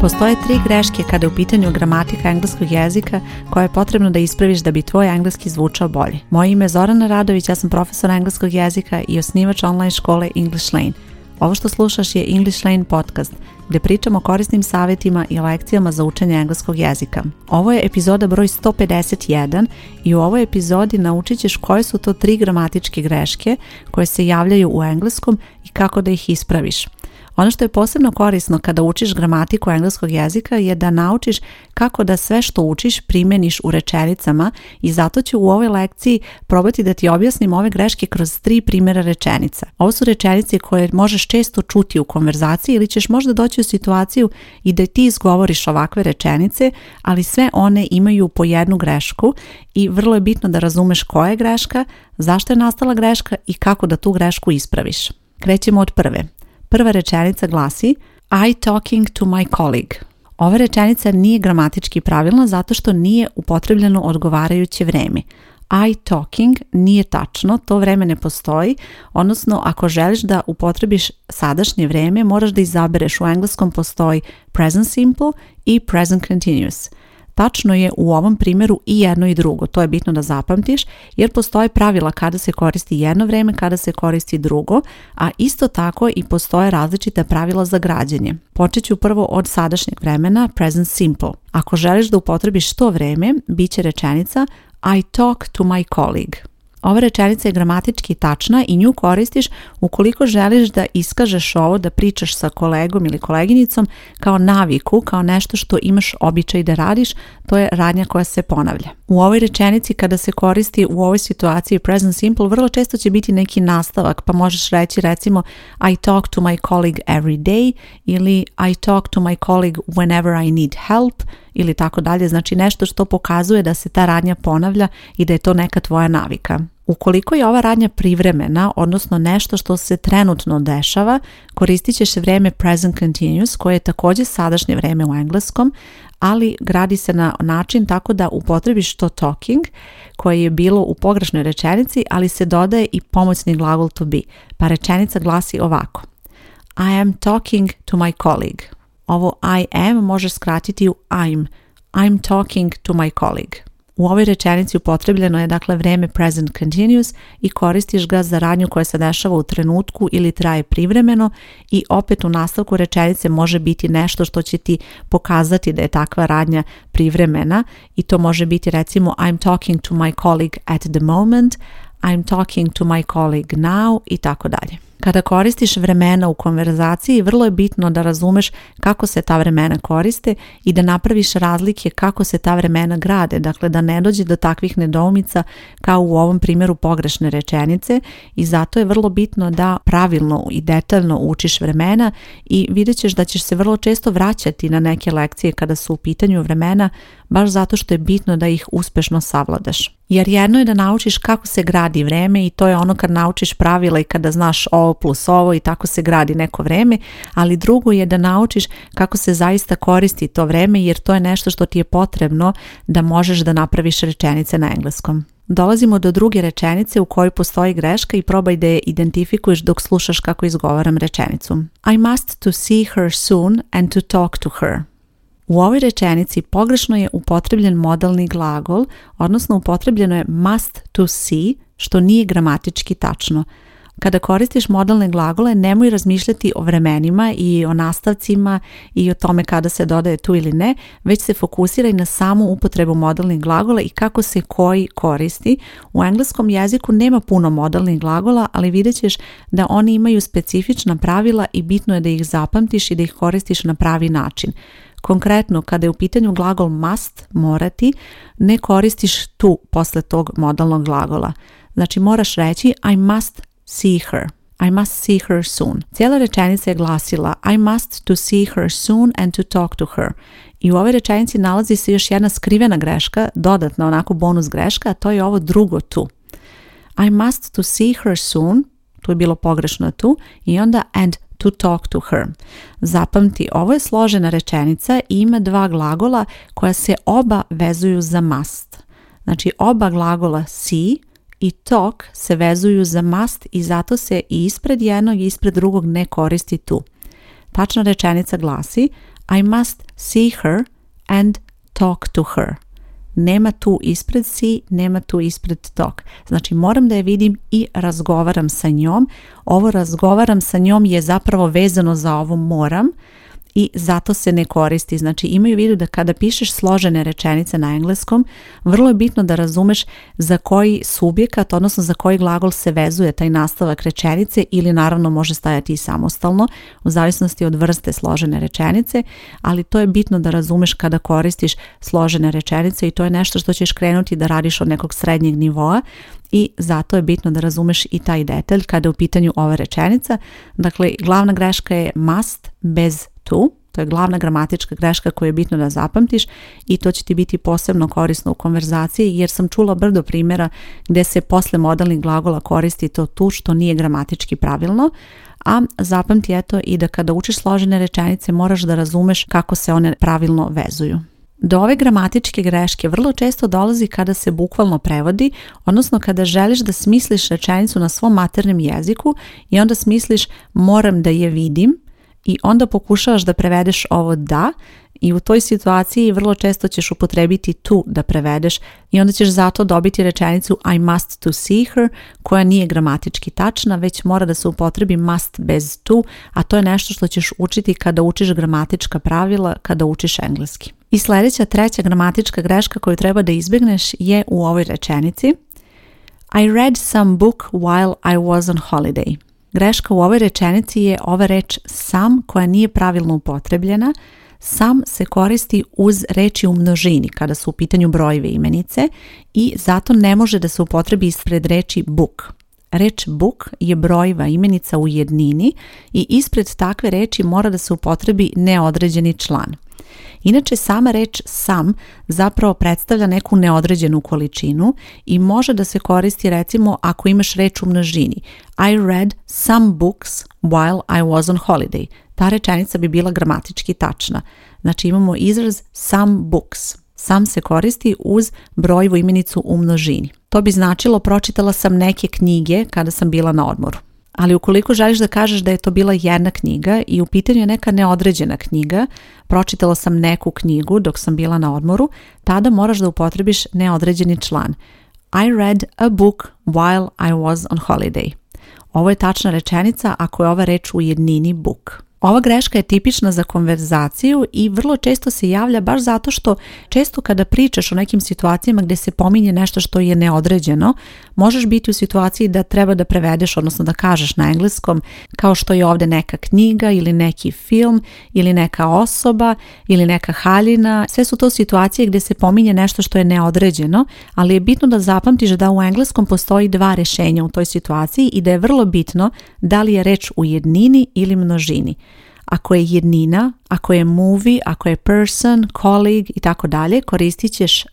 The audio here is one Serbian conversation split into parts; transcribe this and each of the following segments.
Postoje 3 greške kada je u pitanju gramatika engleskog jezika koje je potrebno da ispraviš da bi tvoj engleski zvučao bolje. Moje ime je Zorana Radović, ja sam profesor engleskog jezika i osnivač online škole English Lane. Ovo što slušaš je English Lane podcast, gdje pričamo o korisnim savjetima i lekcijama za učenje engleskog jezika. Ovo je epizoda broj 151 i u ovoj epizodi naučit ćeš koje su to 3 gramatičke greške koje se javljaju u engleskom i kako da ih ispraviš. Ono što je posebno korisno kada učiš gramatiku engleskog jezika je da naučiš kako da sve što učiš primjeniš u rečenicama i zato ću u ovoj lekciji probati da ti objasnim ove greške kroz 3 primjera rečenica. Ovo su rečenice koje možeš često čuti u konverzaciji ili ćeš možda doći u situaciju i da ti izgovoriš ovakve rečenice, ali sve one imaju po jednu grešku i vrlo je bitno da razumeš koja je greška, zašto je nastala greška i kako da tu grešku ispraviš. Krećemo od prve. Prva rečenica glasi I talking to my colleague. Ova rečenica nije gramatički pravilna zato što nije upotrebljeno odgovarajuće vreme. I talking nije tačno, to vreme ne postoji, odnosno ako želiš da upotrebiš sadašnje vreme, moraš da izabereš. U engleskom postoji present simple i present continuous. Tačno je u ovom primjeru i jedno i drugo, to je bitno da zapamtiš jer postoje pravila kada se koristi jedno vreme, kada se koristi drugo, a isto tako i postoje različita pravila za građenje. Počet ću prvo od sadašnjeg vremena, present simple. Ako želiš da upotrebiš to vreme, bit će rečenica I talk to my colleague. Ova rečenica je gramatički tačna i nju koristiš ukoliko želiš da iskažeš ovo, da pričaš sa kolegom ili koleginicom kao naviku, kao nešto što imaš običaj da radiš, to je radnja koja se ponavlja. U ovoj rečenici kada se koristi u ovoj situaciji present simple, vrlo često će biti neki nastavak, pa možeš reći recimo I talk to my colleague every day ili I talk to my colleague whenever I need help ili tako dalje, znači nešto što pokazuje da se ta radnja ponavlja i da je to neka tvoja navika. Ukoliko je ova radnja privremena, odnosno nešto što se trenutno dešava, koristit ćeš vrijeme present continuous koje je također sadašnje vrijeme u engleskom, ali gradi se na način tako da upotrebiš to talking koje je bilo u pogrešnoj rečenici, ali se dodaje i pomoćni glagol to be. Pa rečenica glasi ovako. I am talking to my colleague. Ovo I am možeš skratiti u I'm talking to my colleague. U ovoj rečenici upotrebljeno je dakle vrijeme present continuous i koristiš ga za radnju koja se dešava u trenutku ili traje privremeno i opet u nastavku rečenice može biti nešto što će ti pokazati da je takva radnja privremena i to može biti recimo I'm talking to my colleague at the moment, I'm talking to my colleague now i tako dalje. Kada koristiš vremena u konverzaciji, vrlo je bitno da razumeš kako se ta vremena koriste i da napraviš razlike kako se ta vremena grade, dakle da ne dođe do takvih nedoumica kao u ovom primjeru pogrešne rečenice i zato je vrlo bitno da pravilno i detaljno učiš vremena i vidjet ćeš da ćeš se vrlo često vraćati na neke lekcije kada su u pitanju vremena, baš zato što je bitno da ih uspešno savladaš. Jer jedno je da naučiš kako se gradi vreme i to je ono kad naučiš pravila i kada znaš ovo plus ovo i tako se gradi neko vreme, ali drugo je da naučiš kako se zaista koristi to vreme jer to je nešto što ti je potrebno da možeš da napraviš rečenice na engleskom. Dolazimo do druge rečenice u kojoj postoji greška i probaj da je identifikuješ dok slušaš kako izgovaram rečenicu. I must to see her soon and to talk to her. U ovoj rečenici pogrešno je upotrebljen modalni glagol, odnosno upotrebljeno je must to see, što nije gramatički tačno. Kada koristiš modalne glagole, nemoj razmišljati o vremenima i o nastavcima i o tome kada se dodaje tu ili ne, već se fokusiraj na samu upotrebu modalnih glagola i kako se koji koristi. U engleskom jeziku nema puno modalnih glagola, ali vidjet ćeš da oni imaju specifična pravila i bitno je da ih zapamtiš i da ih koristiš na pravi način. Konkretno, kada je u pitanju glagol must, morati, ne koristiš tu posle tog modalnog glagola. Znači moraš reći I must see her. I must see her soon. Cijela rečenica je glasila I must to see her soon and to talk to her. I u ovoj rečenici nalazi se još jedna skrivena greška, dodatna onako bonus greška, a to je ovo drugo tu. I must to see her soon, tu je bilo pogrešno tu, i onda and to talk to her. Zapamti, ovo je složena rečenica i ima 2 glagola koja se oba vezuju za must. Znači oba glagola see i talk se vezuju za must i zato se i ispred jednog i ispred drugog ne koristi tu. Tačna rečenica glasi I must see her and talk to her. Nema tu ispred see, nema tu ispred talk. Znači moram da je vidim i razgovaram sa njom. Ovo razgovaram sa njom je zapravo vezano za ovo moram i zato se ne koristi. Znači imaju u vidu da kada pišeš složene rečenice na engleskom, vrlo je bitno da razumeš za koji subjekat, odnosno za koji glagol se vezuje taj nastavak rečenice ili naravno može stajati i samostalno u zavisnosti od vrste složene rečenice, ali to je bitno da razumeš kada koristiš složene rečenice i to je nešto što ćeš krenuti da radiš od nekog srednjeg nivoa i zato je bitno da razumeš i taj detalj kada je u pitanju ova rečenica. Dakle, glavna greška je must bez to, to je glavna gramatička greška koju je bitno da zapamtiš i to će ti biti posebno korisno u konverzaciji jer sam čula brdo primjera gdje se posle modalnih glagola koristi to tu što nije gramatički pravilno, a zapamti eto i da kada učiš složene rečenice moraš da razumeš kako se one pravilno vezuju. Do ove gramatičke greške vrlo često dolazi kada se bukvalno prevodi, odnosno kada želiš da smisliš rečenicu na svom maternjem jeziku i onda smisliš moram da je vidim i onda pokušavaš da prevedeš ovo da i u toj situaciji vrlo često ćeš upotrebiti to da prevedeš i onda ćeš zato dobiti rečenicu I must to see her koja nije gramatički tačna, već mora da se upotrebi must bez to, a to je nešto što ćeš učiti kada učiš gramatička pravila, kada učiš engleski. I sljedeća treća gramatička greška koju treba da izbjegneš je u ovoj rečenici I read some book while I was on holiday. Greška u ovoj rečenici je ova reč some koja nije pravilno upotrebljena. Some se koristi uz reči u množini kada su u pitanju brojevi imenice i zato ne može da se upotrebi ispred reči book. Reč book je brojiva imenica u jednini i ispred takve reči mora da se upotrebi neodređeni član. Inače, sama reč some zapravo predstavlja neku neodređenu količinu i može da se koristi recimo ako imaš reč u množini. I read some books while I was on holiday. Ta rečenica bi bila gramatički tačna. Znači imamo izraz some books. Some se koristi uz brojevu imenicu u množini. To bi značilo pročitala sam neke knjige kada sam bila na odmoru. Ali ukoliko želiš da kažeš da je to bila jedna knjiga i u pitanju je neka neodređena knjiga, pročitala sam neku knjigu dok sam bila na odmoru, tada moraš da upotrebiš neodređeni član. I read a book while I was on holiday. Ovo je tačna rečenica ako je ova reč u jednini book. Ova greška je tipična za konverzaciju i vrlo često se javlja baš zato što često kada pričaš o nekim situacijama gdje se pominje nešto što je neodređeno, možeš biti u situaciji da treba da prevedeš, odnosno da kažeš na engleskom, kao što je ovdje neka knjiga ili neki film ili neka osoba ili neka haljina. Sve su to situacije gdje se pominje nešto što je neodređeno, ali je bitno da zapamtiš da u engleskom postoji dva rješenja u toj situaciji i da je vrlo bitno da li je reč u jednini ili množini. Ako je jednina, ako je movie, ako je person, colleague i tako dalje, koristit ćeš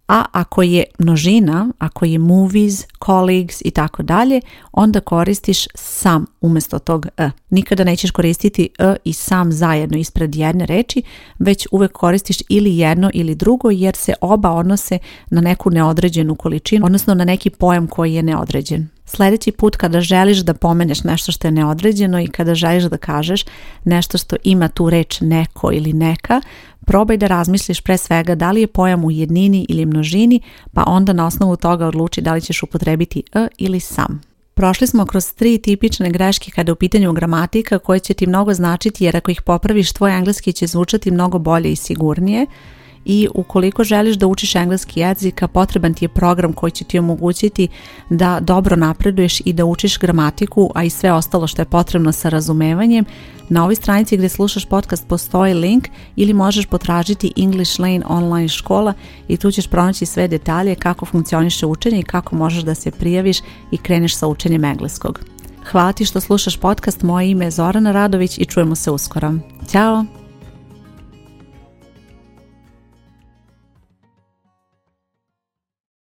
a ako je množina, ako je movies, colleagues i tako dalje, onda koristiš some umjesto tog Nikada nećeš koristiti i some zajedno ispred jedne reči, već uvek koristiš ili jedno ili drugo jer se oba odnose na neku neodređenu količinu, odnosno na neki pojam koji je neodređen. Sljedeći put kada želiš da pomeneš nešto što je neodređeno i kada želiš da kažeš nešto što ima tu reč neko ili neka, probaj da razmisliš pre svega da li je pojam u jednini ili množini, pa onda na osnovu toga odluči da li ćeš upotrebiti ili some. Prošli smo kroz 3 tipične greške kada je u pitanju gramatika koje će ti mnogo značiti jer ako ih popraviš tvoj engleski će zvučati mnogo bolje i sigurnije. I ukoliko želiš da učiš engleski jezik, potreban ti je program koji će ti omogućiti da dobro napreduješ i da učiš gramatiku, a i sve ostalo što je potrebno sa razumevanjem. Na ovoj stranici gdje slušaš podcast postoji link ili možeš potražiti English Lane online škola i tu ćeš pronaći sve detalje kako funkcioniše učenje i kako možeš da se prijaviš i kreneš sa učenjem engleskog. Hvala ti što slušaš podcast, moje ime je Zorana Radović i čujemo se uskoro. Ćao!